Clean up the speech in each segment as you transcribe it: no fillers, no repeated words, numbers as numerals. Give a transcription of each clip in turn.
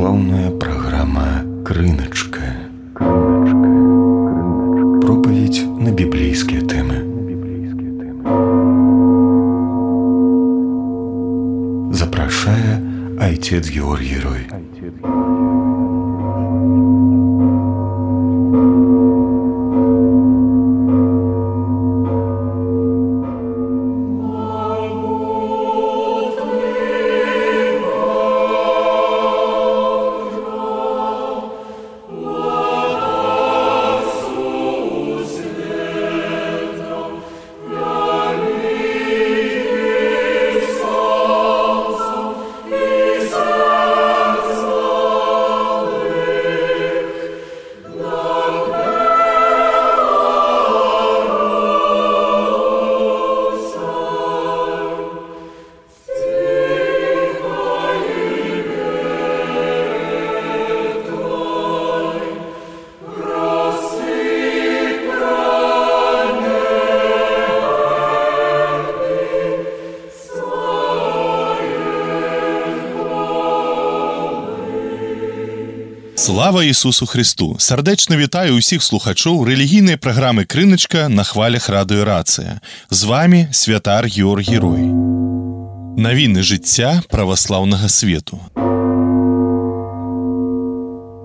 Православная программа «Крыночка». Проповедь на библейские темы. Запрашае отец Георгий Рой. Слава Ісусу Христу! Сардэчна вітаю ўсіх слухачоў рэлігійнай праграмы «Крыночка» на хвалях радыё «Рацыя». З вами святар Георгий Рой. Навіны жыцця праваслаўнага свету.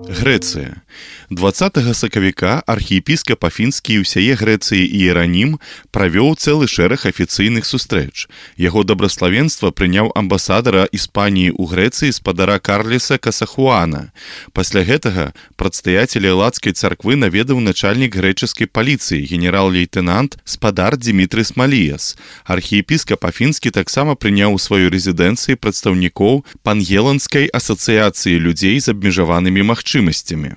Грэцыя. 20 сакавіка архіепіскап Афінскі і ўсяе Грэцыі Іеранім правёў цэлы шэраг афіцыйных сустрэч. Яго дабраславенства прыняў амбасадара Іспаніі ў Грэцыі спадара Карлеса Касахуана. Пасля гэтага прадстаяцеля Элладскай царквы наведаў начальнік грэчаскай паліцыі генерал-лейтэнант спадар Дзімітры Смаліяс. Архіепіскап Афінскі таксама прыняў у сваёй рэзідэнцыі прадстаўнікоў Пангеланскай асацыяцыі людзей з абмежаванымі магчымасцямі.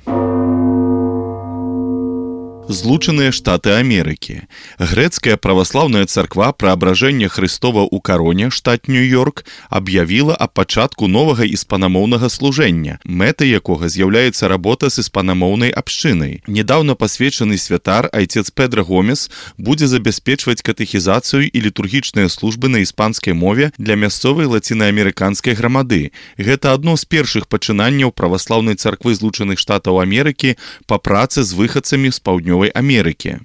Злучаныя Штаты Амерыкі. Грэцкая праваслаўная царква Праабражэння Хрыстова ў Кароне, штат Нью-Йорк, аб'явіла аб пачатку новага іспанамоўнага служэння, мэтай якога з'яўляецца работа з іспанамоўнай абшчынай. Нядаўна пасвечаны святар айцец Педро Гомес будзе забяспечваць катэхізацыю і літургічныя службы на іспанскай мове для мясцовай лацінаамерыканскай грамады. Гэта адно з першых пачынанняў праваслаўнай царквы Злучаных Штатаў Амерыкі па працы з выхадцамі з Паўднёвай Америки.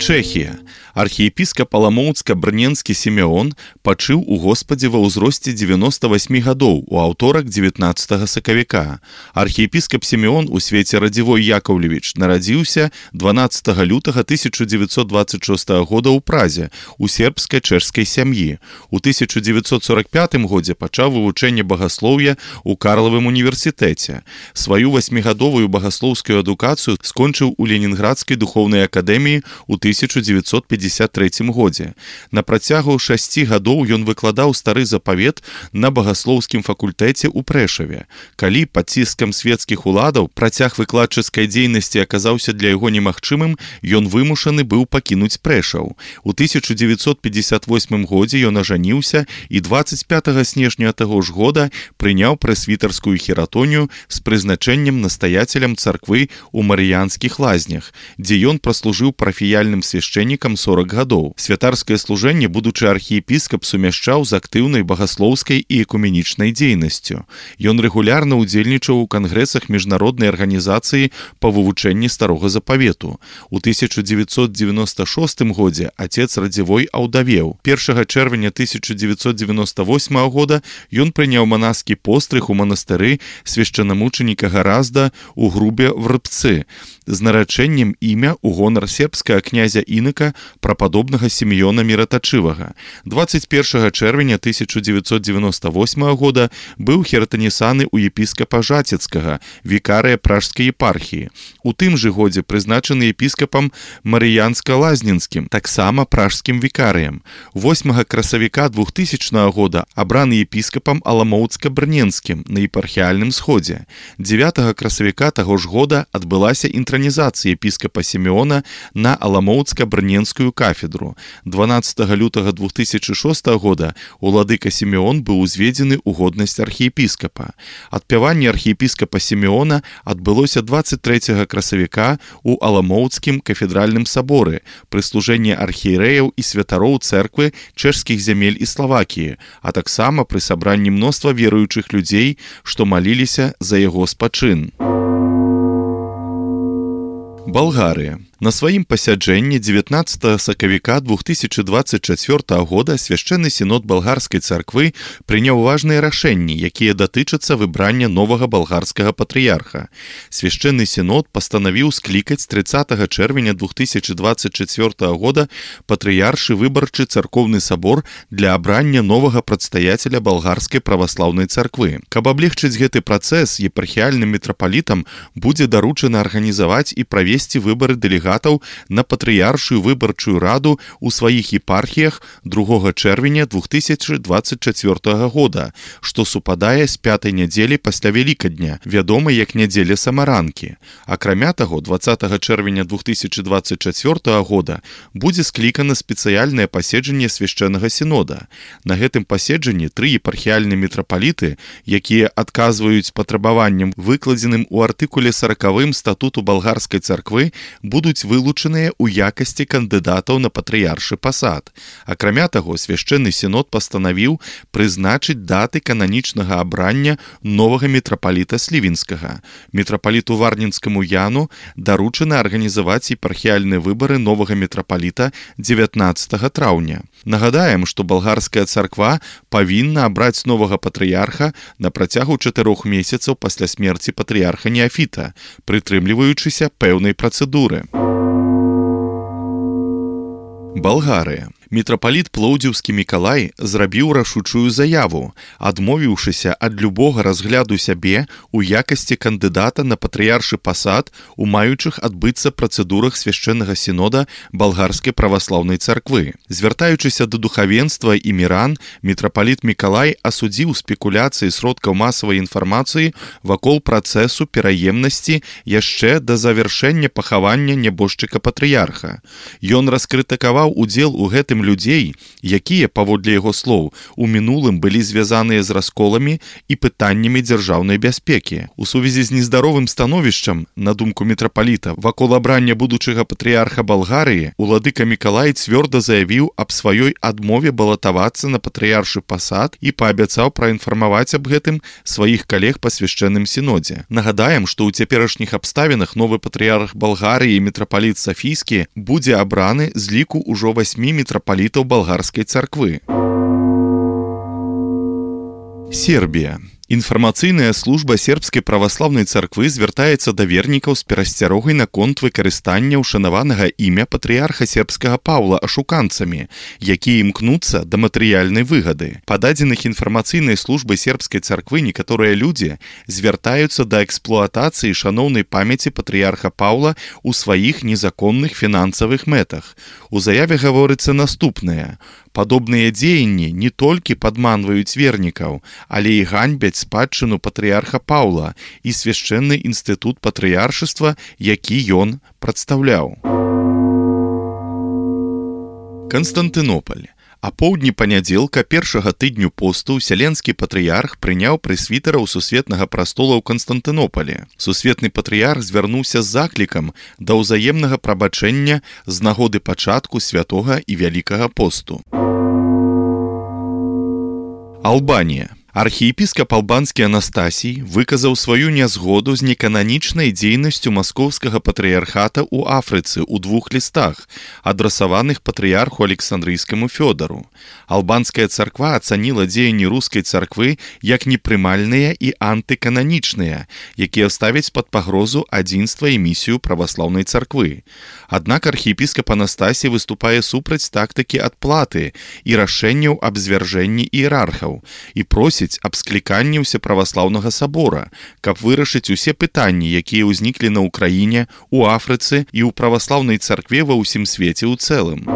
Чэхія. Архіепіскап Аламоўцка-Брненскі Сімеон пачыў у Господзе ва ўзросце 98 гадоў у аўторак 19 сакавіка. Архіепіскап Сімеон у свеце Радзівой Яковлевіч нарадзіўся 12 лютага 1926 года ў Празе у сербска-чэшскай сям'і. У 1945 годзе пачаў вывучэнне багаслоўя ў Карлавым універсітэце. Сваю 8-гадовую багаслоўскую адукацыю скончыў у Ленінградскай духоўнай акадэміі ў 1953 годзе. На працягу 6 гадоў ён выкладаў стары запавет на багаслоўскім факультэце ў Прэшаве. Калі пад ціскам свецкіх уладаў працяг выкладчыцкай дзейнасці аказаўся для яго немагчымым, ён вымушаны быў пакінуць Прэшаў. У 1958 годзе ён ажаніўся і 25 снежня таго ж года прыняў прэсвітарскую хіратонію з прызначэннем настаяцелем царквы ў Марыянскіх лазнях, дзе ён праслужыў парафіяльным свяшчэннікам 40 гадоў. Святарскае служэнне будучы архіепіскап сумяшчаў з актыўнай багаслоўскай і экуменічнай дзейнасцю. Ён рэгулярна ўдзельнічаў у кангрэсах міжнароднай арганізацыі па вывучэнні старога запавету. У 1996 годзе отец Радзівой аўдавеў. 1 чэрвеня 1998 года ён прыняў манаскі пострыг у манастыры свяшчанамучаніка Гаразда ў Грубе в Рыбцы з нарачэннем імя ў гонар сербскага князя Інака прападобнага Сімеона Міратачывага. 21 чэрвеня 1998 года быў хіратанісаны ў епіскапа Жацецкага, вікарыя пражскай епархіі. У тым жа годзе прызначаны епіскапам Марыянска-Лазненскім, таксама пражскім вікарыем. 8 красавіка 2000 года абраны епіскапам Аламоўцка-Брненскім на епархіяльным сходзе. 9 красавіка таго ж года адбылася інтранізацыя епіскапа Сімеона на Аламоўцка-Брненскую сельскую кафедру. 12 лютага 2006 года уладыка Сімеон быў узведзены ў годнасць архіепіскапа. Адпяванне архіепіскапа Сімеона адбылося 23 красавіка ў Аламоўцкім кафедральным саборы пры служэнні архіерэяў і святароў цэрквы чэшскіх зямель і Славакіі, а таксама пры сабранні мноства веруючых людзей, што маліліся за яго спачын. Балгарыя. На сваім пасяджэнні 19 сакавіка 2024 года свяшчэнны сінод балгарскай царквы прыняў важныя рашэнні, якія датычацца выбрання новага балгарскага патрыярха. Свяшчэнны сінод пастанавіў склікаць 30 чэрвеня 2024 года патрыяршы выбарчы царкоўны сабор для абрання новага прадстаяцеля балгарскай праваслаўнай царквы. Каб аблегчыць гэты працэс, епархіяльным мітрапалітам будзе даручана арганізаваць і правесці выбары дэлегатаў на патрыяршую выбарчую раду ў сваіх епархіях 2 чэрвеня 2024 года, што супадае з 5-й нядзелі пасля Вялікадня, вядомай як нядзеля самаранкі. Акрамя таго, 20 чэрвеня 2024 года будзе склікана спецыяльнае паседжанне свяшчэннага сінода. На гэтым паседжанні 3 епархіяльныя мітрапаліты, якія адказваюць патрабаванням, выкладзеным у артыкуле 40 статуту балгарскай царквы, будуць вылучаныя ў якасці кандыдатаў на патрыяршы пасад. Акрамя таго, свяшчэнны сінод пастанавіў прызначыць даты кананічнага абрання новага мітрапаліта Слівінскага. Мітрапаліту Варнінскаму Яну даручана арганізаваць епархіяльныя выбары новага мітрапаліта 19 траўня. Нагадаем, што балгарская царква павінна абраць новага патрыярха на працягу 4 месяцаў пасля смерці патрыярха Неафіта, прытрымліваючыся пэўнай працэдуры. Балгарыя. Мітрапаліт Плоўдзіўскі Мікалай зрабіў рашучую заяву, адмовіўшыся ад любога разгляду сябе ў якасці кандыдата на патрыяршы пасад у маючых адбыцца працэдурах свяшчэннага сінода балгарскай праваслаўнай царквы. Звяртаючыся да духавенства і міран, мітрапаліт Мікалай асудзіў спекуляцыі сродкаў масавай інфармацыі вакол працэсу пераемнасці яшчэ да завяршэння пахавання нябожчыка-патрыярха. Ён раскрытыкаваў удзел у гэтым людзей, якія, паводле яго слоў, у мінулым былі звязаныя з расколамі і пытаннямі дзяржаўнай бяспекі. У сувязі з нездаровым становішчам, на думку мітрапаліта, вакол абрання будучага патрыярха Балгарыі, уладыка Мікалай цвёрда заявіў аб сваёй адмове балатавацца на патрыяршы пасад і паабяцаў праінфармаваць аб гэтым сваіх калег па свяшчэнным сінодзе. Нагадаем, што ў цяперашніх абставінах новы патрыярх Балгарыі і мітрапаліт Сафійскі будзе абраны з ліку ўжо 8 мітрапалітаў балгарскай царквы. Сербія. Інфармацыйная служба сербскай праваслаўнай царквы звяртаецца да вернікаў з перасцярогай наконт выкарыстання ўшанаванага імя патрыярха сербскага Паўла ашуканцамі, якія імкнуцца да матэрыяльнай выгады. Па дадзеных інфармацыйнай службы сербскай царквы некаторыя людзі звяртаюцца да эксплуатацыі шаноўнай памяці патрыярха Паўла ў сваіх незаконных фінансавых мэтах. У заяве гаворыцца наступнае: падобныя дзеянні не толькі падманваюць вернікаў, але і ганьбяць спадчыну патрыярха Паўла і свяшчэнны інстытут патрыяршыства, які ён прадстаўляў. Канстантынополь. Апоўдні панядзелка першага тыдню посту ўсяленскі патрыярх прыняў прэсвітараў сусветнага прастола ў Канстантынополі. Сусветны патрыярх звярнуўся з заклікам да ўзаемнага прабачэння з нагоды пачатку святога і вялікага посту. Албанія. Архіепіскап албанскі Анастасій выказаў сваю нязгоду з некананічнай дзейнасцю маскоўскага патрыярхата ў Афрыцы ў 2 лістах, адрасаваных патрыярху Александрыйскаму Фёдару. Албанская царква ацаніла дзеянні рускай царквы як непрымальныя і антыкананічныя, якія ставяць пад пагрозу адзінства і місію праваслаўнай царквы. Аднак архіепіскап Анастасій выступае супраць тактыкі адплаты і рашэнняў аб звяржэнні іерархаў і просіць аб скліканні ўсеправаслаўнага сабора, каб вырашыць усе пытанні, якія ўзніклі на ўкраіне, у Афрыцы і ў праваслаўнай царкве ва ўсім свеце ў цэлым.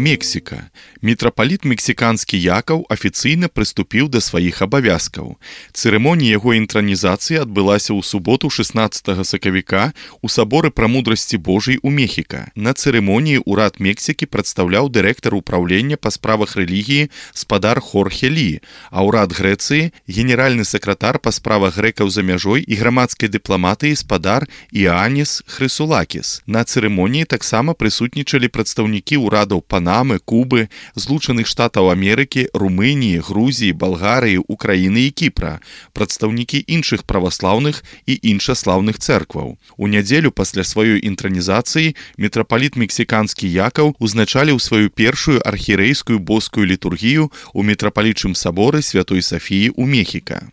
Мексіка. Мітрапаліт мексіканскі Якаў афіцыйна прыступіў да сваіх абавязкаў. Цырымонія яго інтранізацыі адбылася ў суботу 16 сакавіка ў саборы Прамудрасці Божай у Мехіка. На цырымоніі ўрад Мексікі прадстаўляў дырэктар управлення па справах рэлігіі спадар Хорхе Лі, а ўрад Грэцыі – генеральны сакратар па справах грэкаў за мяжой і грамадскай дыпламатыі спадар Іанніс Хрысулакіс. На цырымоніі таксама прысутнічалі прадстаўнікі ўрадаў Панамы, Кубы, Злучаных Штатаў Амерыкі, Румыніі, Грузіі, Балгарыі, Украіны і Кіпра, прадстаўнікі іншых праваслаўных і іншаслаўных цэркваў. У нядзелю пасля сваёй інтранізацыі мітрапаліт мексіканскі Якаў узначаліў сваю першую архірэйскую боскую літургію ў мітрапалічым саборы Святой Сафіі ў Мехіка.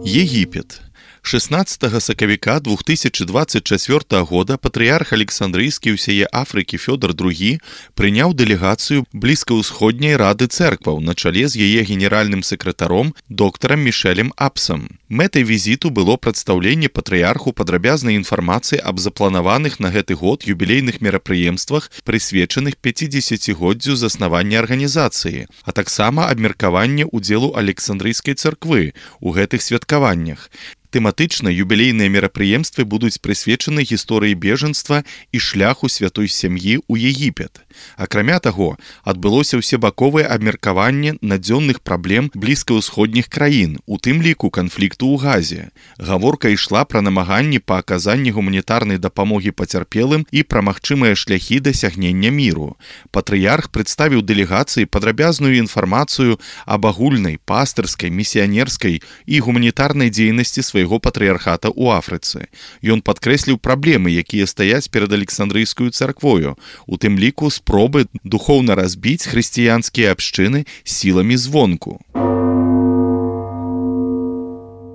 Егіпет. 16 сакавіка 2024 года патрыярх Александрыйскі ўсяе Афрыкі Фёдор II прыняў дэлегацыю блізкаўсходняй рады цэркваў на чале з яе генеральным сакратаром доктарам Мішэлем Апсам. Мэтай візіту было прадстаўленне патрыярху падрабязнай інфармацыі аб запланаваных на гэты год юбілейных мерапрыемствах, прысвечаных 50-годдзю заснавання арганізацыі, а таксама абмеркаванне ўдзелу Александрыйскай царквы ў гэтых святкаваннях. Тэматычна юбілейныя мерапрыемствы будуць прысвечаны гісторыі бежанства і шляху святой сям'і ў Егіпет. Акрамя таго, адбылося ўсебаковае абмеркаванне надзённых праблем блізкаўсходніх краін, у тым ліку канфлікту ў Газе. Гаворка ішла пра намаганні па аказанні гуманітарнай дапамогі пацярпелым і пра магчымыя шляхі дасягнення міру. Патрыярх прадставіў дэлегацыі падрабязную інфармацыю аб агульнай, пастырскай, місіянерскай і гуманітарнай дзейнасці свайго патрыярхата ў Афрыцы. Ён падкрэсліў праблемы, якія стаяць перад Александрыйскую царквою, у тым ліку спробы духоўна разбіць хрысціянскія абшчыны сіламі звонку.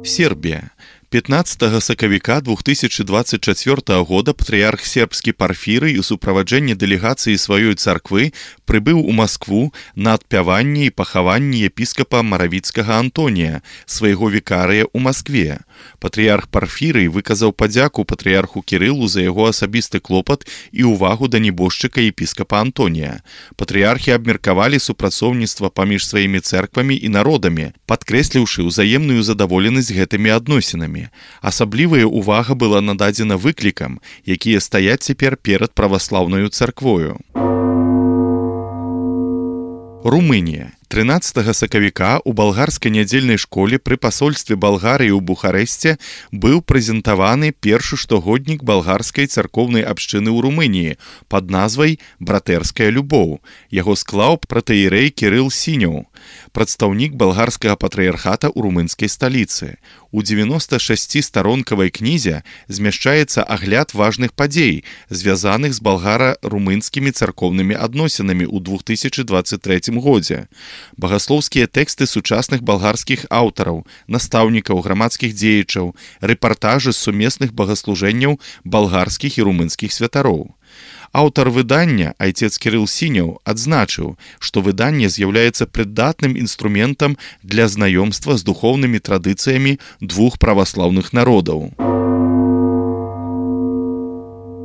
Сербія. 15 сакавіка 2024 года патрыярх сербскі Парфірый у суправаджэнні дэлегацыі сваёй царквы прыбыў у Маскву на адпяванне і пахаванне епіскапа Маравіцкага Антонія, свайго вікарыя ў Маскве. Патрыярх Парфірый выказаў падзяку патрыярху Кірылу за яго асабісты клопат і ўвагу да небожчыка епіскапа Антонія. Патрыярхі абмеркавалі супрацоўніцтва паміж сваімі цэрквамі і народамі, падкрэсліўшы ўзаемную задаволенасць гэтымі адносінамі. Асаблівая ўвага была нададзена выклікам, якія стаяць цяпер перад праваслаўнаю царквою. Румынія. 13 сакавіка ў балгарскай нядзельнай школе пры пасольстве Балгарыі ў Бухарэсце быў прэзентаваны першы штогоднік балгарскай царкоўнай абшчыны ў Румыніі пад назвай «Братэрская любоў». Яго склаў пратэірэй Кірыл Сіняў, прадстаўнік балгарскага патрыярхата ў румынскай сталіцы. У 96-старонкавай кнізе змяшчаецца агляд важных падзей, звязаных з балгара-румынскімі царкоўнымі адносінамі ў 2023 годзе. Багаслоўскія тэксты сучасных балгарскіх аўтараў, настаўнікаў, грамадскіх дзеячаў, рэпартажы з сумесных багаслужэнняў балгарскіх і румынскіх святароў. Аўтар выдання, айцец Кірыл Сіняў, адзначыў, што выданне з'яўляецца прыдатным інструментам для знаёмства з духоўнымі традыцыямі двух праваслаўных народаў.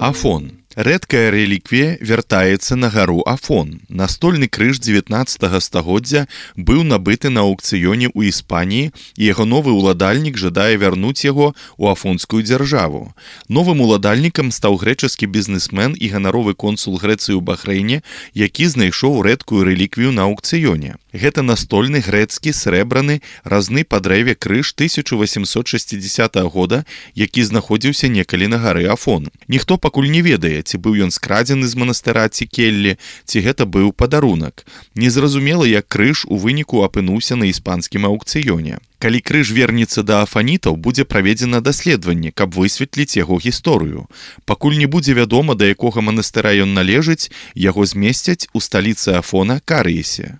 Афон. Рэдкая рэліквія вяртаецца на гару Афон. Настольны крыж 19 стагоддзя быў набыты на аўкцыёне ў Іспаніі, і яго новы ўладальнік жадае вярнуць яго ў афонскую дзяржаву. Новым уладальнікам стаў грэчаскі бізнесмен і ганаровы консул Грэцыі ў Бахрэйне, які знайшоў рэдкую рэліквію на аўкцыёне. Гэта настольны грэцкі срэбраны разны па дрэве крыж 1860 года, які знаходзіўся некалі на гары Афон. Ніхто пакуль не ведае, ці быў ён скрадзены з манастыра ці келлі, ці гэта быў падарунак. Незразумела, як крыж у выніку апынуўся на іспанскім аўкцыёне. Калі крыж вернецца да афанітаў, будзе праведзена даследаванне, каб высветліць яго гісторыю. Пакуль не будзе вядома, да якога манастыра ён належыць, яго змесцяць у сталіцы Афона Карыесе.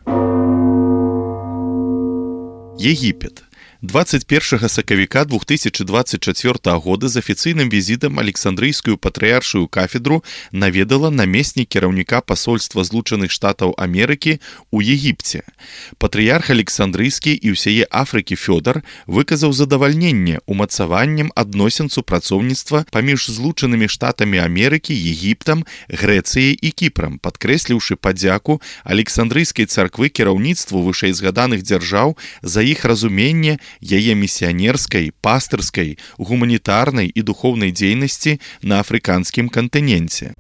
Егіпет. 21 сакавіка 2024 года з афіцыйным візітам Александрыйскую патрыяршую кафедру наведала намеснік кіраўніка пасольства Злучаных Штатаў Амерыкі ў Егіпце. Патрыярх Александрыйскі і ўсяе Афрыкі Фёдар выказаў задавальненне умацаваннем адносін супрацоўніцтва паміж Злучанымі Штатамі Амерыкі, Егіптам, Грэцыяй і Кіпрам, падкрэсліўшы падзяку Александрыйскай царквы кіраўніцтву вышэйзгаданых дзяржаў за іх разуменне яе місіянерскай, пастырскай, гуманітарнай і духоўнай дзейнасці на афрыканскім кантыненце.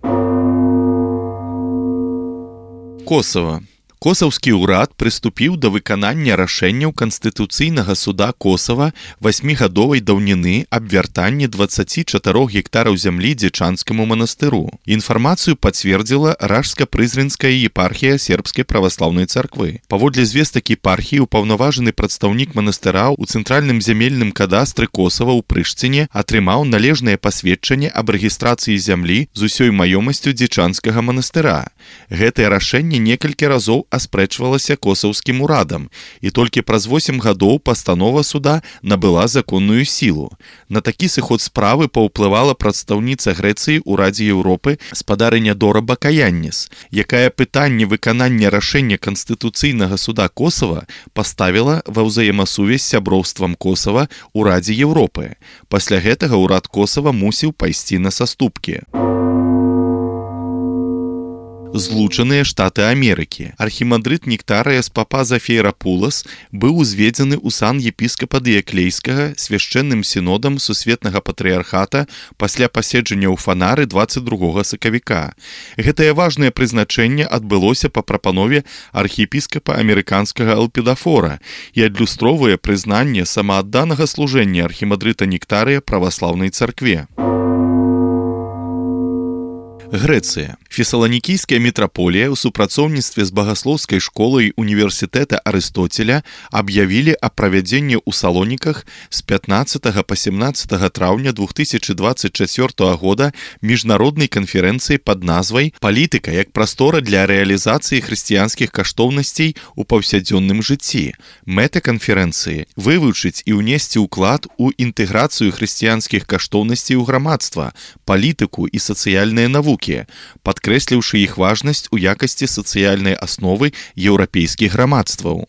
Косава. Косаўскі ўрад прыступіў да выканання рашэнняў Канстытуцыйнага суда Косава 8гадовай даўніны аб вяртанні 24 гектараў зямлі дзечанскаму манастыру. Інфармацыю пацвердзіла Ражска-Прызренская епархія сербскай праваслаўнай царквы. Паводле звестак епархіі, упаўнаважаны прадстаўнік манастыра ў цэнтральным зямельным кадастры Косава ў Прышціне атрымаў належнае пасведчанне аб рэгістрацыі зямлі з усёй маёмасцю дзечанскага манастыра. Гэтае рашэнне некалькі разоў аспрэчвалася косаўскім урадам, і толькі праз 8 гадоў пастанова суда набыла законную сілу. На такі сыход справы паўплывала прадстаўніца Грэцыі ў Радзе Еўропы спадарыня Дора Бакаянніс, якая пытанне выканання рашэння Канстытуцыйнага суда Косава паставіла ва ўзаемасувязь з сяброўствам Косава ў Радзе Еўропы. Пасля гэтага ўрад Косава мусіў пайсці на саступкі. Злучаныя Штаты Амерыкі. Архімандрыт Нектарыяс Папаза Фейрапулас быў узведзены ў сан епіскапа Дыяклейскага свяшчэнным сінодам Сусветнага патрыярхата пасля паседжання ў Фанары 22 сакавіка. Гэтае важнае прызначэнне адбылося па прапанове архіепіскапа амерыканскага Элпідафора і адлюстроўвае прызнанне самаадданага служэння архімандрыта Нектарыя праваслаўнай царкве. Грэцыя. Фесаланікійская мітраполія ў супрацоўніцтве з багаслоўскай школай універсітэта Арыстотеля аб'явілі аб правядзенні ў Салоніках з 15 па 17 траўня 2024 года міжнароднай канферэнцыі пад назвай «Палітыка як прастора для рэалізацыі хрысціянскіх каштоўнасцей у паўсядзённым жыцці». Мэта канферэнцыі – вывучыць і ўнесці ўклад у інтэграцыю хрысціянскіх каштоўнасцей у грамадства, палітыку і сацыяльныя навукі, падкрэсліўшы іх важнасць у якасці сацыяльнай асновы еўрапейскіх грамадстваў.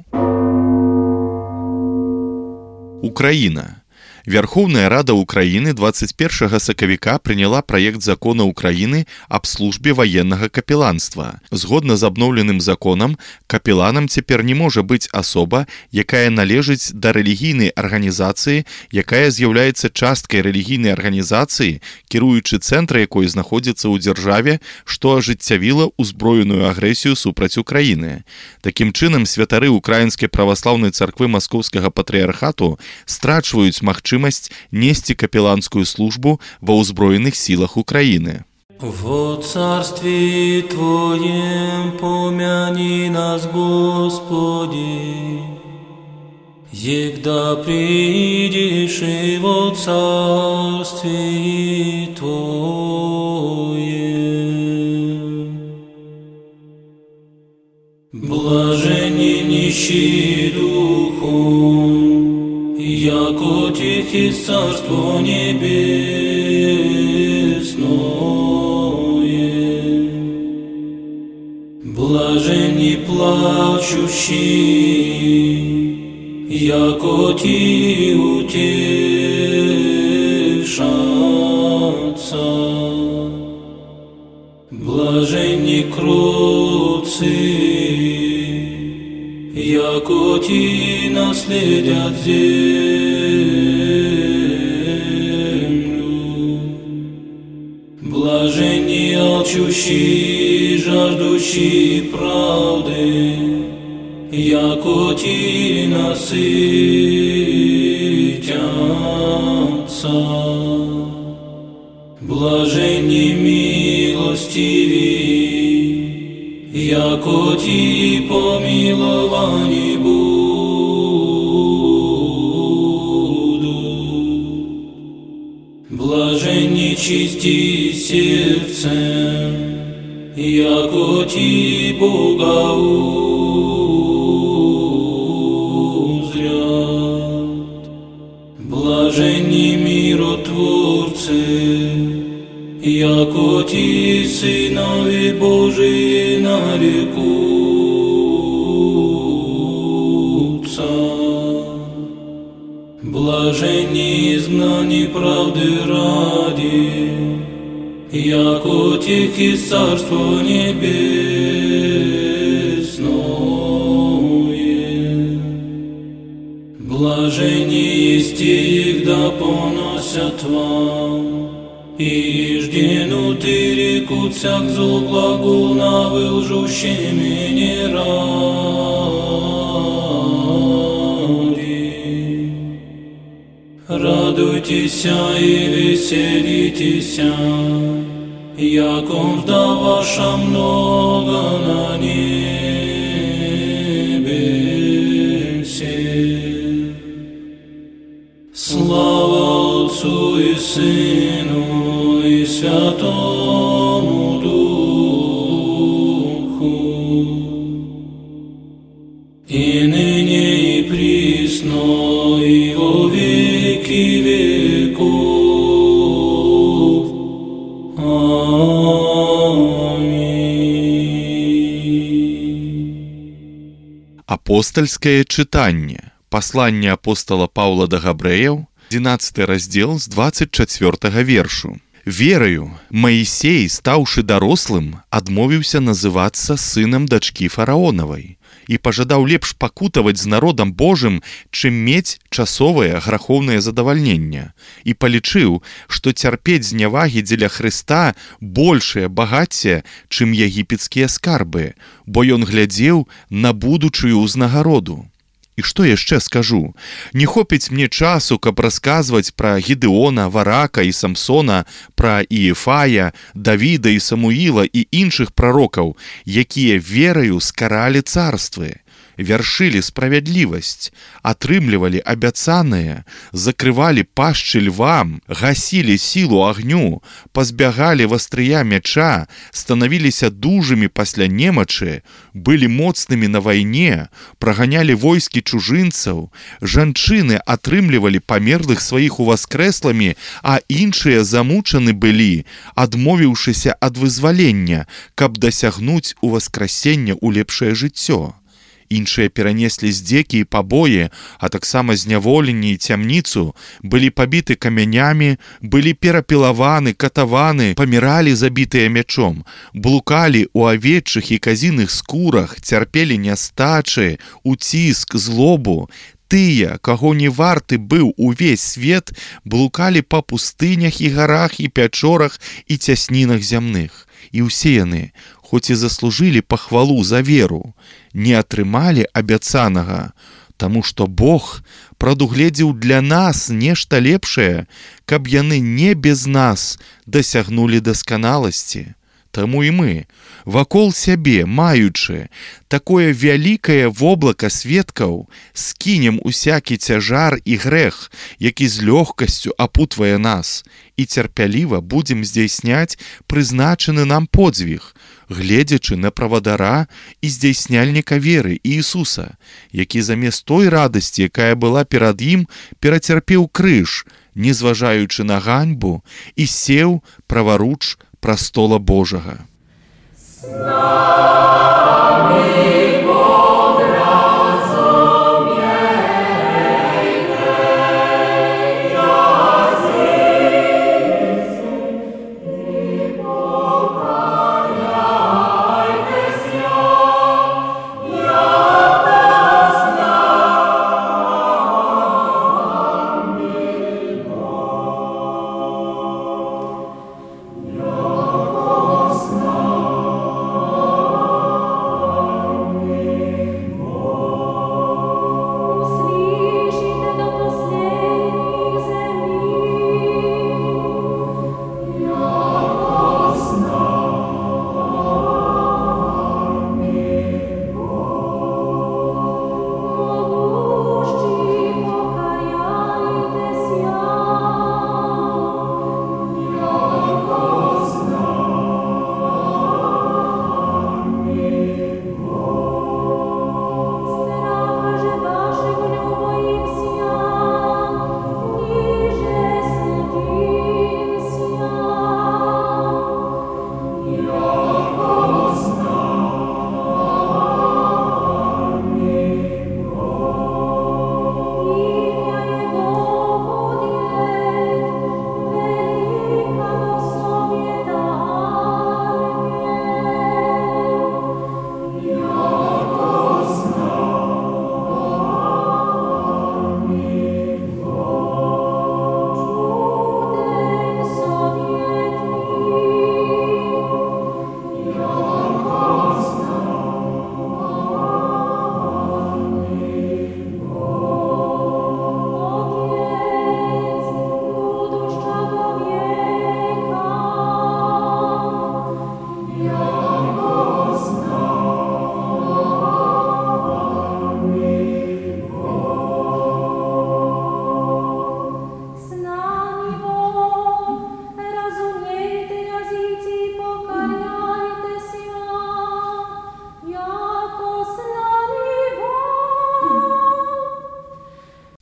Украіна. Верховная Рада Украины 21 сакавіка прыняла праект закона Украины аб службе ваеннага капеланства. Згодна з абноўленым законам, капеланам цяпер не можа быць асоба, якая належыць да рэлігійнай арганізацыі, якая з'яўляецца часткай рэлігійнай арганізацыі, кіруючы цэнтра якой знаходзіцца ў дзяржаве, што ажыццявіла ўзброеную агрэсію супраць Украіны. Такім чынам, святары Украінскай праваслаўнай царквы Маскоўскага патрыярхату страчваюць магчымасць нести капеланскую службу во ўзброеных силах Украины. Во царстве Твоем помяни нас, Господи, егда придешь и во царстве Твоем. Блаженни нищие духом, яко тихи царство небесное. Блаженни плачущие, яко ти утешатся. Блаженни кроцы, яко ти наследят землю. Блаженни алчущие, жаждущие правды, яко ти насытятся. Блаженни милостивые, яко ти помиловани будут. Блаженни чисти сердцем, яко ти Бога узрят. яко ти сынови Божии нарекутся. Блаженни изгнани правды ради, яко тех из Царство Небесное. Блаженни есть те, да поносят вам, и жденуты рекутся к злу глагол на вылжущими не ради. Радуйтесь и веселитесь, яком да ваша много на небесе. Слава Отцу и Сыну и Святому Духу, и ныне и присно и во веки веков. Аминь. Апостольскае чытанне. Пасланне апостола Паўла да габрэяў, 11 раздзел з 24 вершу. Вераю, Маісей, стаўшы дарослым, адмовіўся называцца сынам дачкі фараонавай і пажадаў лепш пакутаваць з народам Божым, чым мець часовае грахоўнае задавальненне, і палічыў, што цярпець знявагі дзеля Хрыста большае багацце, чым егіпецкія скарбы, бо ён глядзеў на будучую ўзнагароду. І што яшчэ скажу? Не хопіць мне часу, каб расказваць пра Гідеона, Варака і Самсона, пра Іефая, Давіда і Самуіла і іншых прарокаў, якія вераю скаралі царствы, вяршылі справядлівасць, атрымлівалі абяцанае, закрывалі пашчы львам, гасілі сілу агню, пазбягалі вастрыя мяча, станавіліся дужымі пасля немачы, былі моцнымі на вайне, праганялі войскі чужынцаў, жанчыны атрымлівалі памерлых сваіх уваскрэсламі, а іншыя замучаны былі, адмовіўшыся ад вызвалення, каб дасягнуць уваскрасення ў лепшае жыццё. Іншыя перанеслі здзекі і пабоі, а таксама зняволенні і цямніцу, былі пабіты камянямі, былі перапілаваны, катаваны, паміралі забітыя мячом, блукалі ў авечых і казіных скурах, цярпелі нястачы, уціск, злобу. Тыя, каго не варты быў увесь свет, блукалі па пустынях і гарах і пячорах і цяснінах зямных. І ўсе яны, хоць і заслужылі пахвалу за веру, не атрымалі абяцанага, таму што Бог прадугледзеў для нас нешта лепшае, каб яны не без нас дасягнулі дасканаласці. Таму і мы, вакол сябе маючы такое вялікае воблака сведкаў, скінем усякі цяжар і грэх, які з лёгкасцю апутвае нас, і цярпяліва будзем здзяйсняць прызначаны нам подзвіг, гледзячы на правадара і здзяйсняльніка веры Іісуса, які замест той радасці, якая была перад ім, перацярпеў крыж, не зважаючы на ганьбу, і сеў праваруч прастола Божага.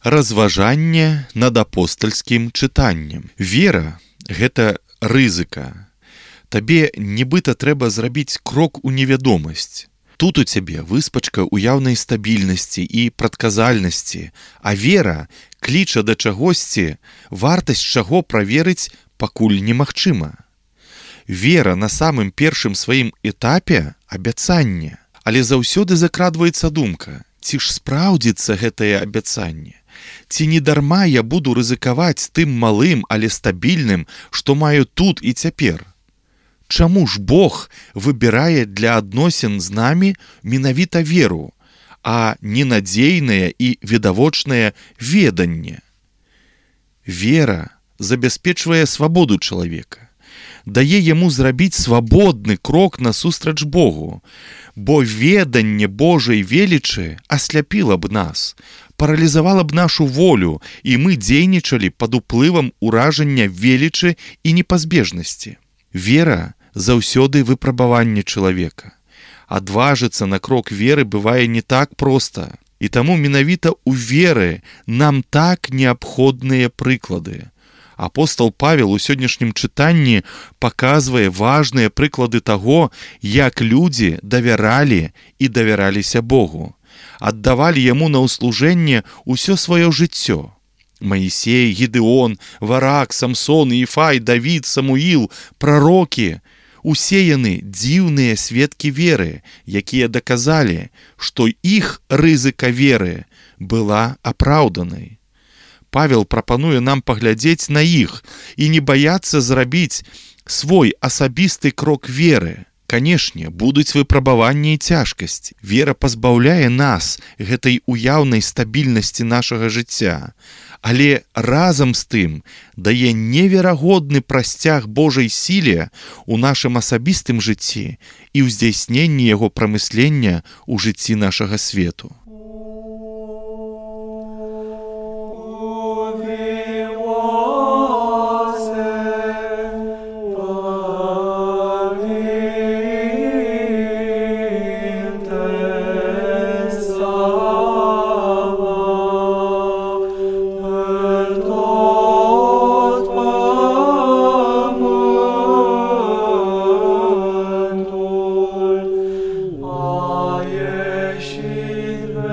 Разважанне над апостальскім чытаннем. Вера – гэта рызыка. Табе нібыта трэба зрабіць крок у невядомасць. Тут у цябе выспачка ўяўнай стабільнасці і прадказальнасці, а вера кліча да чагосьці, вартасць чаго праверыць пакуль немагчыма. Вера на самым першым сваім этапе – абяцанне. Але заўсёды закрадваецца думка, ці ж спраўдзіцца гэтае абяцанне? Ці не дарма я буду рызыкаваць тым малым, але стабільным, што маю тут і цяпер? Чаму ж Бог выбірае для адносін з намі менавіта веру, а ненадзейнае і відавочнае веданне? Вера забяспечвае свабоду чалавека, дае яму зрабіць свабодны крок насустрач Богу, бо веданне Божай велічы асляпіла б нас, паралізавала б нашу волю, і мы дзейнічалі пад уплывам уражання велічы і непазбежнасці. Вера заўсёды выпрабаванне чалавека. Адважыцца на крок веры бывае не так проста. І таму менавіта ў веры нам так неабходныя прыклады. Апостол Павел у сённяшнім чытанні паказвае важныя прыклады таго, як людзі давяралі і давяраліся Богу. Аддавалі яму на ўслужэнне ўсё сваё жыццё. Маісей, Гідеон, Варак, Самсон, Іфай, Давід, Самуіл, прарокі – усе яны дзіўныя сведкі веры, якія даказалі, што іх рызыка веры была апраўданай. Павел прапануе нам паглядзець на іх і не баяцца зрабіць свой асабісты крок веры. Канешне, будуць выпрабаванні і цяжкасці. Вера пазбаўляе нас гэтай уяўнай стабільнасці нашага жыцця, але разам з тым дае неверагодны прасцяг Божай сіле ў нашым асабістым жыцці і ў здзяйсненні яго прамыслення ў жыцці нашага свету. Jeśli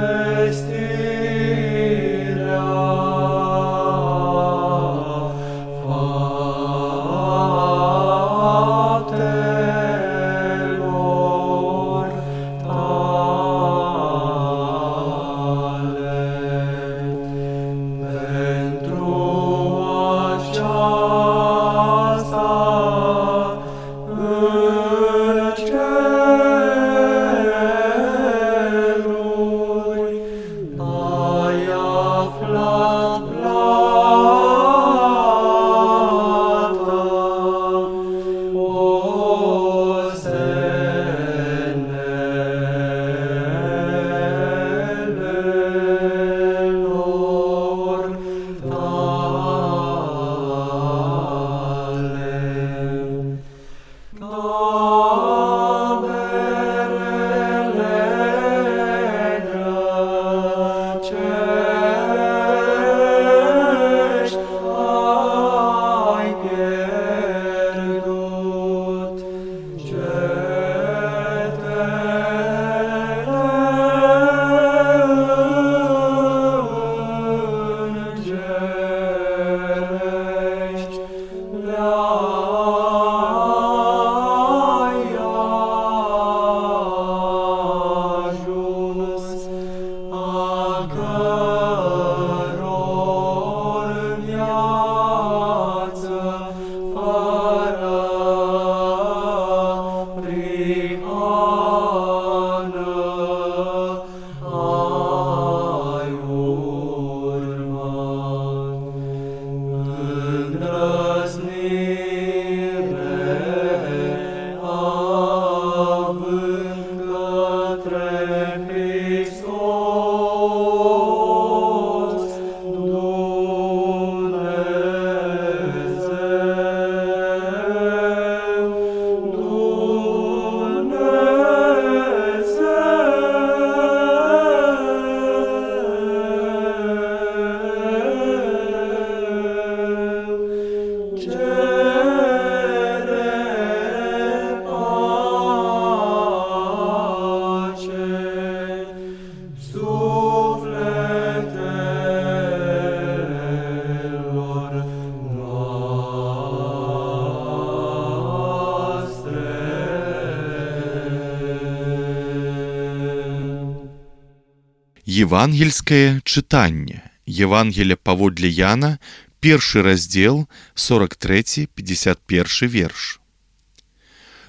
Евангельскае чытанне. Евангелие паводле Яна, 1 раздзел, 43-51 верш.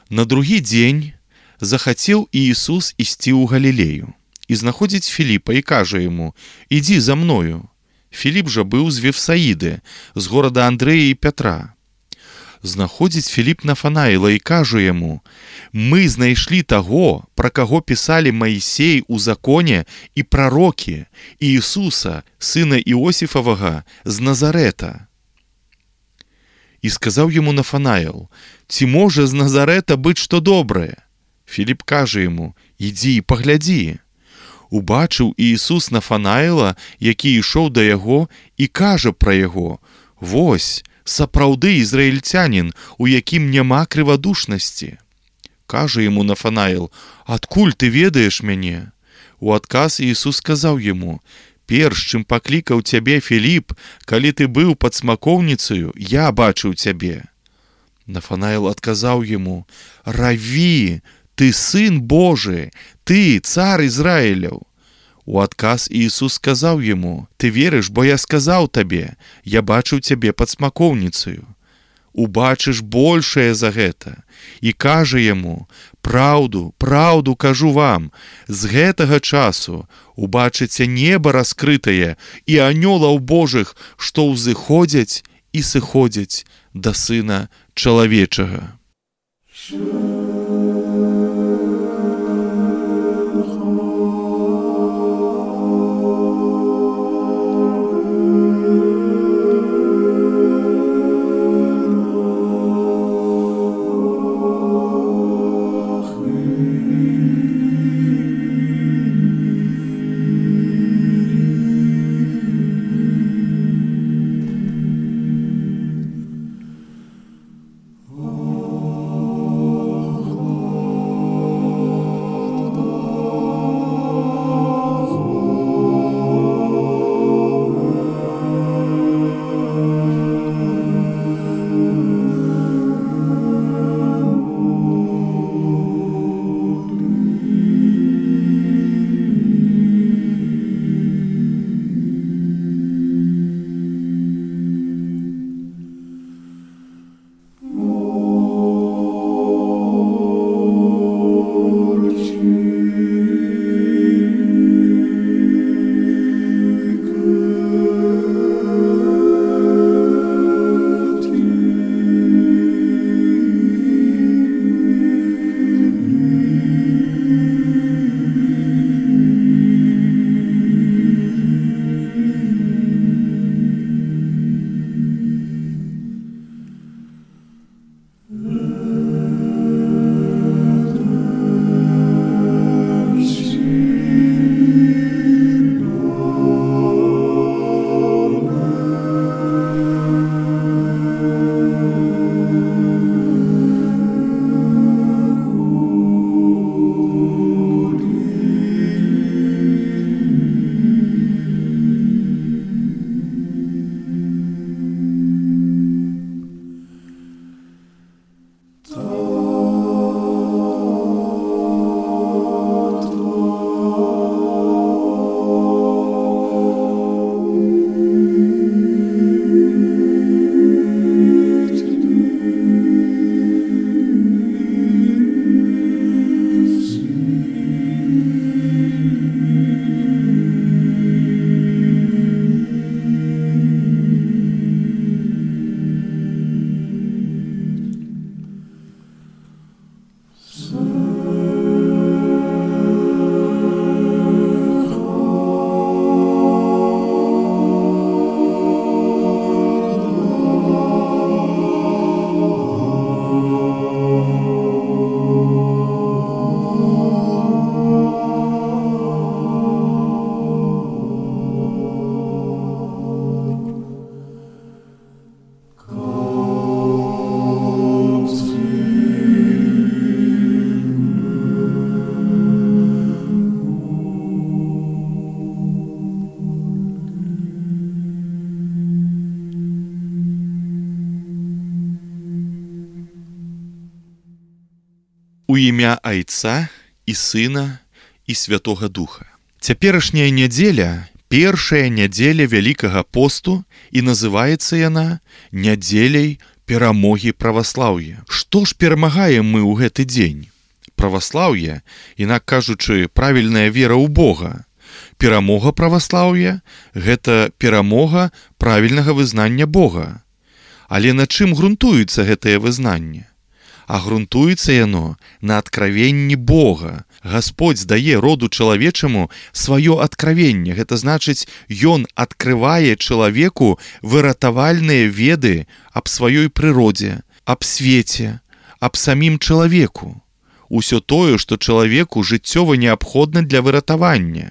На другі дзень захацеў Іісус ісці ў Галілею і знаходзіць Філіпа і кажа яму: «Ідзі за мною». Філіп жа быў з Вефсаіды, з горада Андрэя і Пятра. Знаходзіць Філіп Нафанаіла і кажа яму: «Мы знайшлі таго, пра каго пісалі Маісей у законе і прарокі, Іісуса, сына Іосіфавага, з Назарэта». І сказаў яму Нафанаіл: «Ці можа з Назарэта быць што добрае?» Філіп кажа яму: «Ідзі і паглядзі». Убачыў Іісус Нафанаіла, які ішоў да яго, і кажа пра яго: «Вось, сапраўды ізраільцянін, у якім няма крывадушнасці». Кажа яму Нафанаіл: «Адкуль ты ведаеш мяне?» У адказ Іісус сказаў яму: «Перш чым паклікаў цябе Філіп, калі ты быў пад смакоўніцаю, я бачыў цябе». Нафанаіл адказаў яму: «Раві, ты сын Божы, ты цар Ізраіляў». У адказ Іісус сказаў яму: «Ты верыш, бо я сказаў табе, я бачыў цябе пад смакоўніцаю. Убачыш большае за гэта». І кажа яму: «Праўду, праўду кажу вам, з гэтага часу убачыце неба раскрытае і анёлаў Божых, што ўзыходзяць і сыходзяць да Сына Чалавечага». У імя Айца і Сына і Святога Духа. Цяперашняя нядзеля першая нядзеля Вялікага посту і называецца яна нядзеляй перамогі праваслаўя. Што ж перамагаем мы ў гэты дзень? Праваслаўе, інак кажучы, правільная вера ў Бога. Перамога праваслаўя – гэта перамога правільнага вызнання Бога. Але на чым грунтуецца гэтае вызнанне? А грунтуецца яно на адкравенні Бога. Гасподзь дае роду чалавечаму сваё адкравенне. Гэта значыць, ён адкрывае чалавеку выратавальныя веды аб сваёй прыродзе, аб свеце, аб самім чалавеку. Усё тое, што чалавеку жыццёва неабходна для выратавання.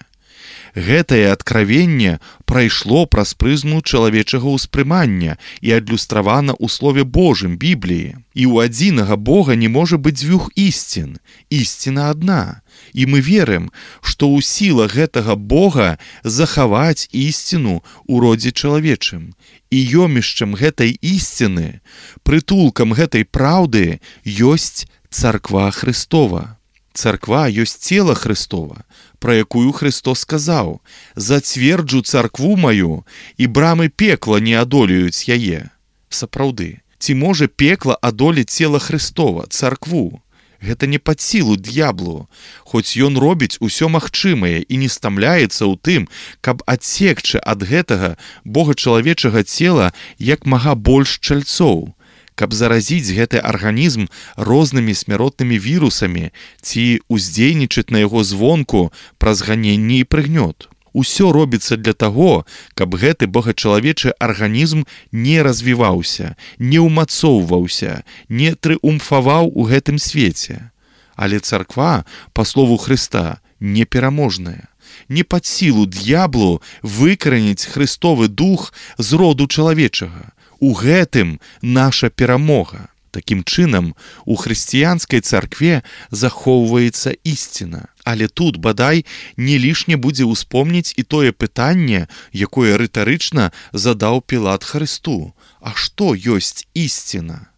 Гэтае адкравенне прайшло праз прызму чалавечага ўспрымання і адлюстравана ў Слове Божым, Бібліі. І ў адзінага Бога не можа быць дзвюх ісцін. Ісціна адна. І мы верым, што ў сілах гэтага Бога захаваць ісціну ў родзе чалавечым. І ёмішчам гэтай ісціны, прытулкам гэтай праўды ёсць царква Христова. Царква ёсць цела Христова, пра якую Христос сказаў: «Зацверджу царкву маю, і брамы пекла не адолеюць яе». Сапраўды, ці можа пекла адолець цела Христова, царкву? Гэта не пад сілу д'яблу, хоць ён робіць усё магчымае і не стамляецца ў тым, каб адсекчы ад гэтага богачалавечага цела як мага больш чальцоў, каб заразіць гэты арганізм рознымі смяротнымі вірусамі ці ўздзейнічаць на яго звонку праз ганенне і прыгнёт. Усё робіцца для таго, каб гэты богачалавечы арганізм не развіваўся, не ўмацоўваўся, не трыумфаваў у гэтым свеце. Але царква, па слову Хрыста, непераможная. Не пад сілу д'яблу выкараніць Христовы дух з роду чалавечага. У гэтым наша перамога. Такім чынам, у хрысціянскай царкве захоўваецца ісціна. Але тут, бадай, не лішне будзе ўспомніць і тое пытанне, якое рытарычна задаў Пілат Хрысту. А што ёсць ісціна?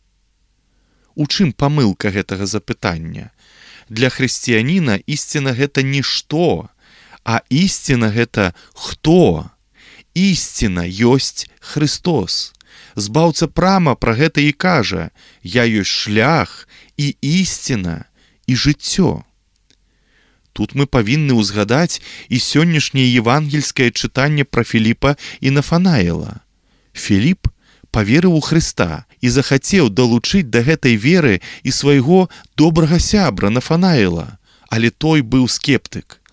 У чым памылка гэтага запытання? Для хрысціяніна ісціна гэта нішто, а ісціна гэта хто? Ісціна ёсць Христос. Збаўца прама пра гэта і кажа: «Я ёсць шлях і ісціна і жыццё». Тут мы павінны ўзгадаць і сённяшняе евангельскае чытанне пра Філіпа і Нафанаіла. Філіп паверыў у Хрыста і захацеў далучыць да гэтай веры і свайго добрага сябра Нафанаіла, але той быў скептык.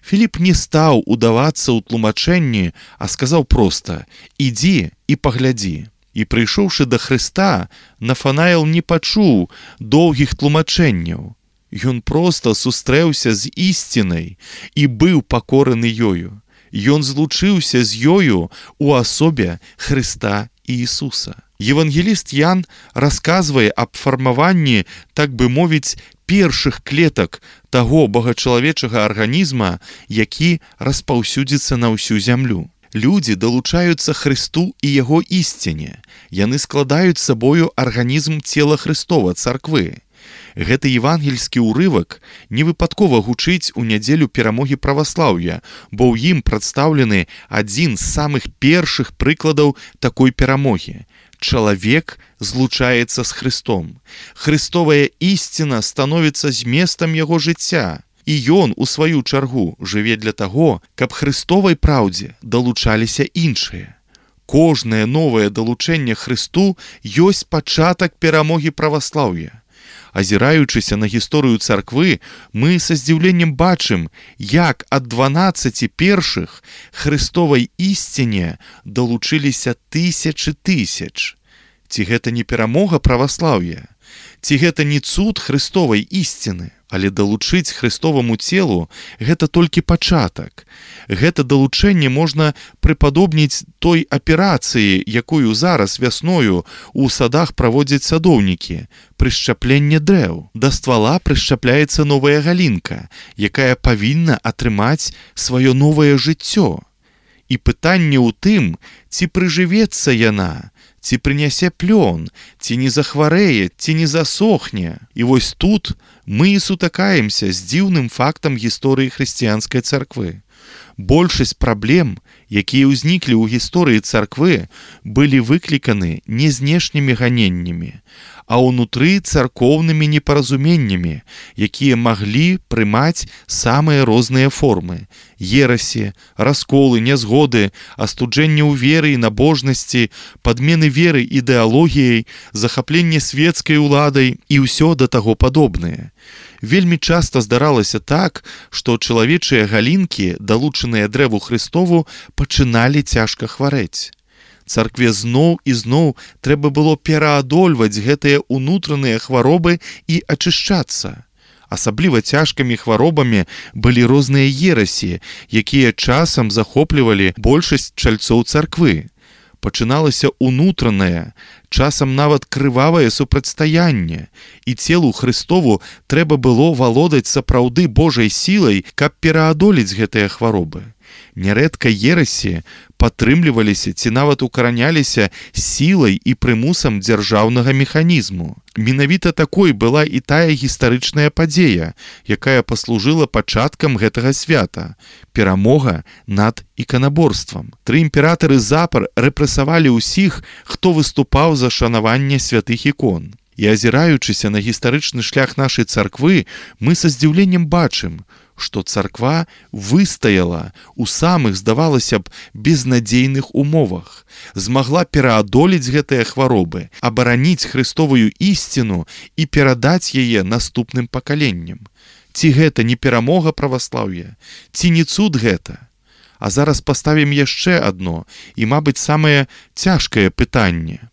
Філіп не стаў удавацца ў тлумачэнні, а сказаў проста: «Ідзі і паглядзі». І прыйшоўшы да Хрыста, Нафанаіл не пачуў доўгіх тлумачэнняў. Ён проста сустрэўся з ісцінай і быў пакораны ёю. Ён злучыўся з ёю у асобе Хрыста і Ісуса. Евангеліст Ян расказвае аб фармаванні, так бы мовіць, першых клетак таго богачалавечага арганізма, які распаўсюдзіцца на ўсю зямлю. Людзі далучаюцца Хрысту і яго ісціне. Яны складаюць сабою арганізм цела Хрыстова, царквы. Гэты евангельскі ўрывак невыпадкова гучыць у нядзелю перамогі праваслаўя, бо ў ім прадстаўлены адзін з самых першых прыкладаў такой перамогі. Чалавек злучаецца з Хрыстом. Хрыстовая ісціна становіцца зместам яго жыцця. І ён, у сваю чаргу, жыве для таго, каб Хрыстовай праўдзе далучаліся іншыя. Кожнае новае далучэнне Хрысту ёсць пачатак перамогі праваслаўя. Азіраючыся на гісторыю царквы, мы са здзіўленнем бачым, як ад 12 першых Хрыстовай ісціне далучыліся тысячы тысяч. Ці гэта не перамога праваслаўя? Ці гэта не цуд Хрыстовай ісціны? Але далучыць Хрыстоваму целу – гэта толькі пачатак. Гэта далучэнне можна прыпадобніць той аперацыі, якую зараз вясною ў садах праводзяць садоўнікі – прышчапленне дрэў. Да ствала прышчапляецца новая галінка, якая павінна атрымаць сваё новае жыццё. І пытанне ў тым, ці прыжывецца яна, ці прынясе плён, ці не захварэе, ці не засохне. І вось тут мы і сутыкаемся з дзіўным фактам гісторыі хрысціянскай царквы. Большасць праблем, якія ўзніклі ў гісторыі царквы, былі выкліканы не знешнімі ганеннямі, а ўнутры царкоўнымі непаразуменнямі, якія маглі прымаць самыя розныя формы: ерасі, расколы, нязгоды, астуджэнне ў веры і набожнасці, падмены веры ідэалогіяй, захапленне свецкай уладай і ўсё да таго падобнае. Вельмі часта здаралася так, што чалавечыя галінкі, далучаныя дрэву Христову, пачыналі цяжка хварэць. Царкве зноў і зноў трэба было пераадольваць гэтыя ўнутраныя хваробы і ачышчацца. Асабліва цяжкімі хваробамі былі розныя ерасі, якія часам захоплівалі большасць чальцоў царквы. Пачыналася ўнутранае, часам нават крывавае супрацьстаянне, і целу Христову трэба было валодаць сапраўды Божай сілай, каб пераадолець гэтыя хваробы. Нярэдка ерасі падтрымліваліся ці нават укараняліся сілай і прымусам дзяржаўнага механізму. Менавіта такой была і тая гістарычная падзея, якая паслужыла пачаткам гэтага свята – перамога над іканаборствам. 3 імператары запар рэпрэсавалі ўсіх, хто выступаў за шанаванне святых ікон. І азіраючыся на гістарычны шлях нашай царквы, мы са здзіўленнем бачым, што царква выстаяла ў самых, здавалася б, безнадзейных умовах, змагла пераадолець гэтыя хваробы, абараніць хрыстовую ісціну і перадаць яе наступным пакаленням. Ці гэта не перамога праваслаўя? Ці не цуд гэта? А зараз паставім яшчэ адно і, мабыць, самае цяжкае пытанне.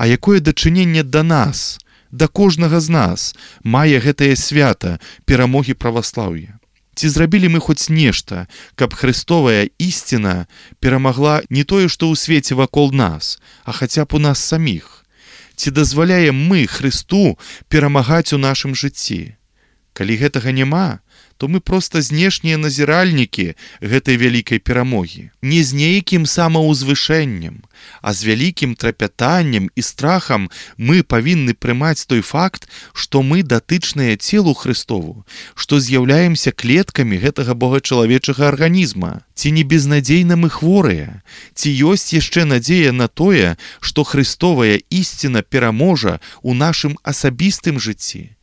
А якое дачыненне да нас, да кожнага з нас мае гэтае свята перамогі праваслаўя? Ці зрабілі мы хоць нешта, каб хрыстовая ісціна перамагла не тое, што ў свеце вакол нас, а хаця б у нас саміх? Ці дазваляем мы Хрысту перамагаць у нашым жыцці? Калі гэтага няма, то мы проста знешнія назіральнікі гэтай вялікай перамогі. Не з нейкім самаўзвышэннем, а з вялікім трапятаннем і страхам мы павінны прымаць той факт, што мы датычныя целу Христову, што з'яўляемся клеткамі гэтага богачалавечага арганізма. Ці не безнадзейна мы хворыя? Ці ёсць яшчэ надзея на тое, што хрыстовая ісціна пераможа ў нашым асабістым жыцці?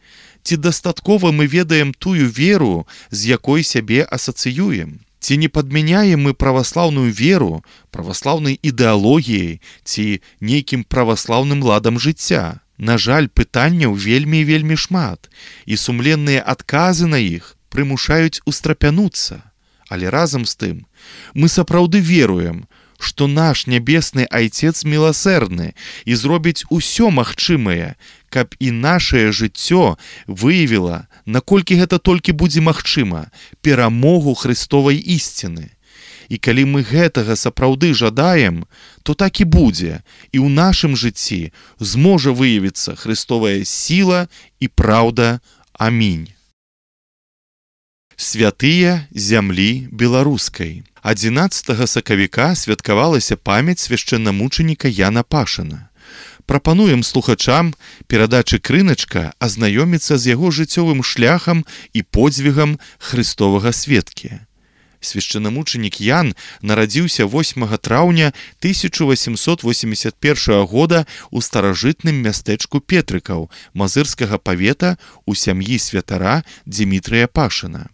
Ці дастаткова мы ведаем тую веру, з якой сябе асацыюем? Ці не падмяняем мы праваслаўную веру, праваслаўнай ідэалогіяй ці нейкім праваслаўным ладам жыцця? На жаль, пытанняў вельмі і вельмі шмат, і сумленныя адказы на іх прымушаюць устрапянуцца. Але разам з тым, мы сапраўды веруем, што наш нябесны Айцец міласэрны і зробіць усё магчымае, каб і нашае жыццё выявіла, наколькі гэта толькі будзе магчыма, перамогу хрыстовай ісціны. І калі мы гэтага сапраўды жадаем, то так і будзе, і ў нашым жыцці зможа выявіцца хрыстовая сіла і праўда. Амінь. Святыя зямлі беларускай. 11 сакавіка святкавалася памяць свяшчэннамучаніка Яна Пашына. Прапануем слухачам перадачы «Крыначка» азнаёміцца з яго жыццёвым шляхам і подзвігам хрыстовага сведкі. Свяшчэнамучанік Ян нарадзіўся 8 траўня 1881 года ў старажытным мястэчку Петрыкаў Мазырскага павета ў сям'і святара Дзімітрыя Пашына.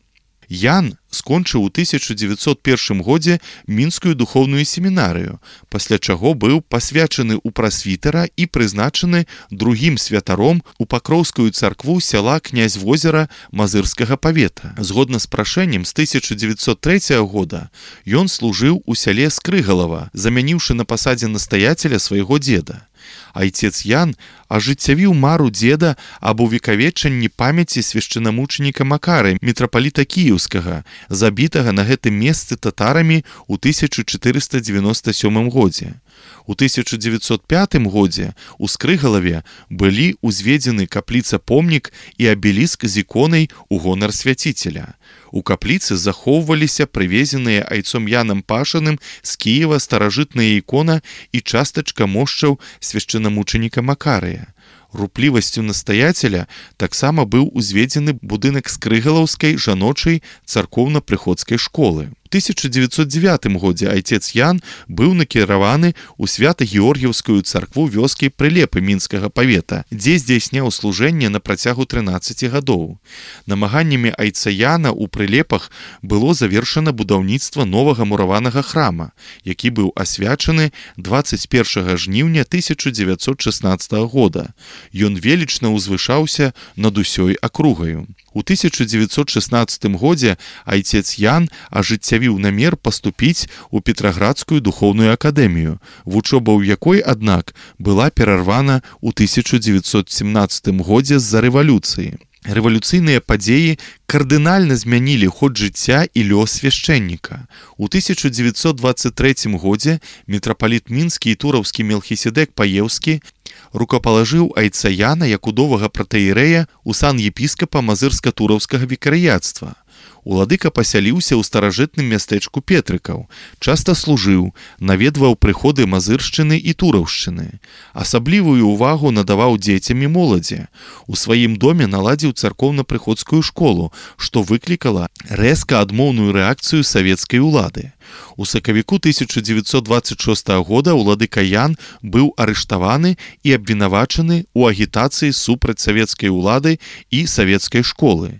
Ян скончыў у 1901 годзе мінскую духоўную семінарыю, пасля чаго быў пасвячаны ў прасвітэра і прызначаны другім святаром у Пакроўскую царкву сяла Князь-Возера Мазырскага павета. Згодна з прашэннем, з 1903 года ён служыў у сяле Скрыгалава, замяніўшы на пасадзе настаяцеля свайго дзеда. Айцец Ян ажыццявіў мару дзеда аб увекавечанні памяці свяшчэнамучаніка Макары, мітрапаліта Кіеўскага, забітага на гэтым месцы татарамі ў 1497 годзе. У 1905 годзе ў Скрыгалаве былі ўзведзены капліца-помнік і абеліск з іконай у гонар свяціцеля. У капліцы захоўваліся прывезеныя айцом Янам Пашаным з Кіева старажытная ікона і частачка мошчаў свяшчэнамучаніка Макарыя. Руплівасцю настаяцеля таксама быў узведзены будынак Скрыгалаўскай жаночай царкоўна-прыходскай школы. У 1909 годзе айцец Ян быў накіраваны ў свята-георгіўскую царкву вёскі Прылепы мінскага павета, дзе здзяйсняў служэнне на працягу 13 гадоў. Намаганнямі айца Яна ў Прылепах было завершана будаўніцтва новага мураванага храма, які быў асвячаны 21 жніўня 1916 года. Ён велічна узвышаўся над усёй акругаю. У 1916 годзе айцец Ян ажыццявіў намер паступіць у Петраградскую духоўную акадэмію, вучоба ў якой, аднак, была перарвана ў 1917 годзе з-за рэвалюцыі. Рэвалюцыйныя падзеі кардынальна змянілі ход жыцця і лёс свяшчэнніка. У 1923 годзе мітрапаліт мінскі і тураўскі Мелхіседек Паеўскі рукапалажыў айца Яна як удовага пратэірэя ў сан епіскапа мазырска-тураўскага вікарыяцтва. Уладыка пасяліўся ў старажытным мястэчку Петрыкаў, часта служыў, наведваў прыходы мазыршчыны і тураўшчыны. Асаблівую ўвагу надаваў дзецям і моладзі. У сваім доме наладзіў царкоўна-прыходскую школу, што выклікала рэзка адмоўную рэакцыю савецкай улады. У сакавіку 1926 года уладыка Ян быў арыштаваны і абвінавачаны ў агітацыі супраць савецкай улады і савецкай школы.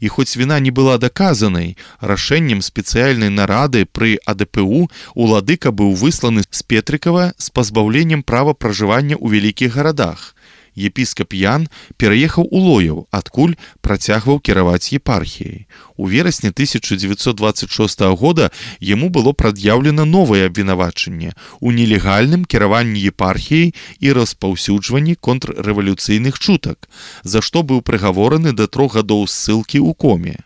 І хоць віна не была даказанай, рашэннем спецыяльнай нарады пры АДПУ уладыка быў высланы з Петрыкава з пазбаўленнем права пражывання ў вялікіх гарадах. Епіскап Ян пераехаў у Лояў, адкуль працягваў кіраваць епархіяй. У верасні 1926 года яму было прад'яўлена новае абвінавачанне ў нелегальным кіраванні епархіяй і распаўсюджванні контррэвалюцыйных чутак, за што быў прыгавораны да 3 гадоў ссылкі ў коме.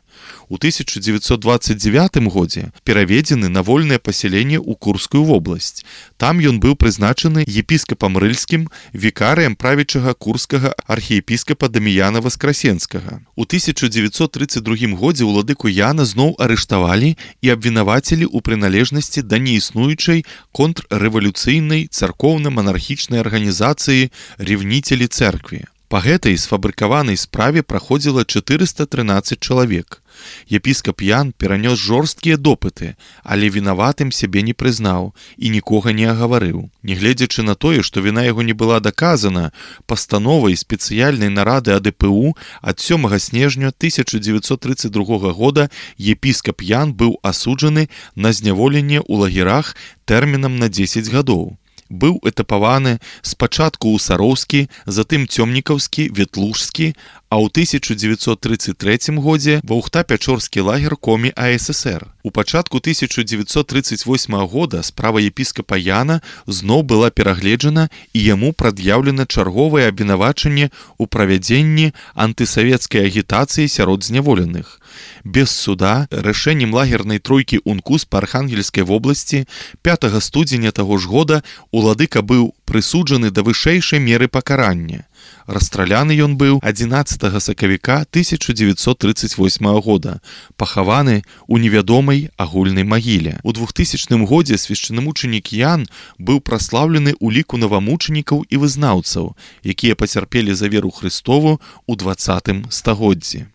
У 1929 годзе пераведзены на вольнае пасяленне ў Курскую вобласць. Там ён быў прызначаны епіскапам рыльскім, вікарыем правячага курскага архіепіскапа Даміяна Васкрасенскага. У 1932 годзе уладыку Яна зноў арыштавалі і абвінавацілі ў прыналежнасці да неіснуючай контррэвалюцыйнай царкоўна-манархічнай арганізацыі «Ревнителі цэркві». Па гэтай сфабрыкаванай справе праходзіла 413 чалавек. Епіскап Ян перанёс жорсткія допыты, але вінаватым сябе не прызнаў і нікога не агаварыў. Нягледзячы на тое, што віна яго не была даказана, пастановай спецыяльнай нарады АДПУ ад 7 снежня 1932 года епіскап Ян быў асуджаны на зняволенне ў лагерах тэрмінам на 10 гадоў. Быў этапаваны спачатку ў Сароўскі, затым Цёмнікаўскі, Ветлужскі, а ў 1933 годзе ва Ухта-Пячорскі лагер Комі АССР. У пачатку 1938 года справа епіскапа Яна зноў была перагледжана і яму прад'яўлена чарговае абвінавачанне ў правядзенні антысавецкай агітацыі сярод зняволеных. Без суда рашэннем лагернай тройкі УНКУС па Архангельскай вобласці 5 студзеня таго ж года уладыка быў прысуджаны да вышэйшай меры пакарання. Расстраляны ён быў 11 сакавіка 1938 года, пахаваны ў невядомай агульнай магіле. У 2000 годзе свяшчэннамучанік Ян быў праслаўлены ў ліку навамучанікаў і вызнаўцаў, якія пацярпелі за веру Христову ў 20 стагоддзі.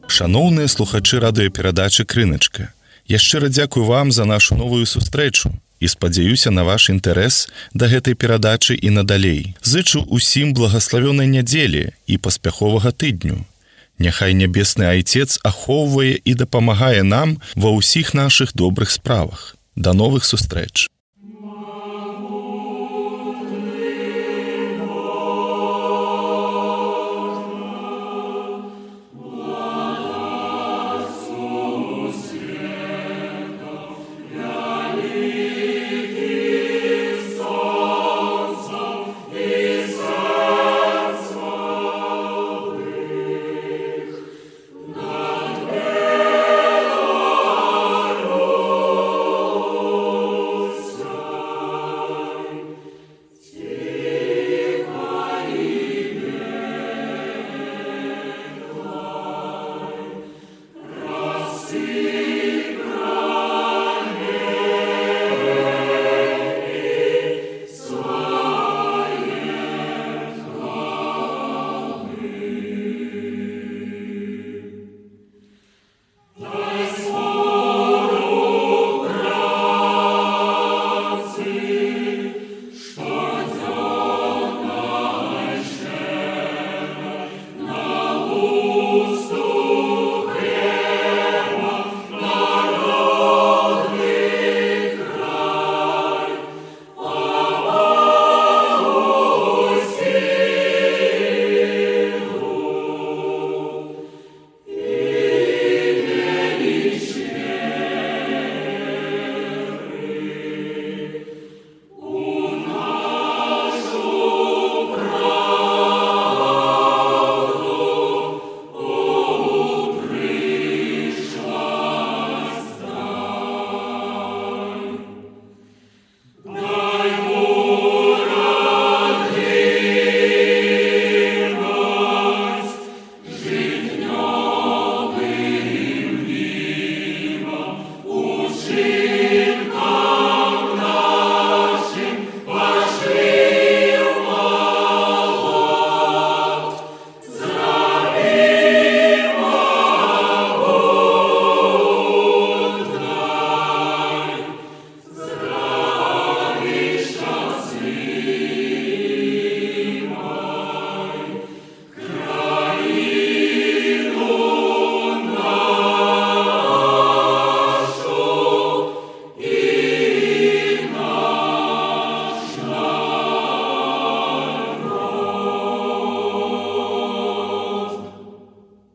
Шаноўныя слухачы радыёперадачы «Крыначка», я шчыра дзякую вам за нашу новую сустрэчу і спадзяюся на ваш інтарэс да гэтай перадачы і надалей. Зычу усім благаславёнай нядзелі і паспяховага тыдню. Няхай нябесны Айцец ахоўвае і дапамагае нам ва ўсіх нашых добрых справах. Да новых сустрэч!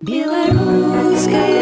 Белорусская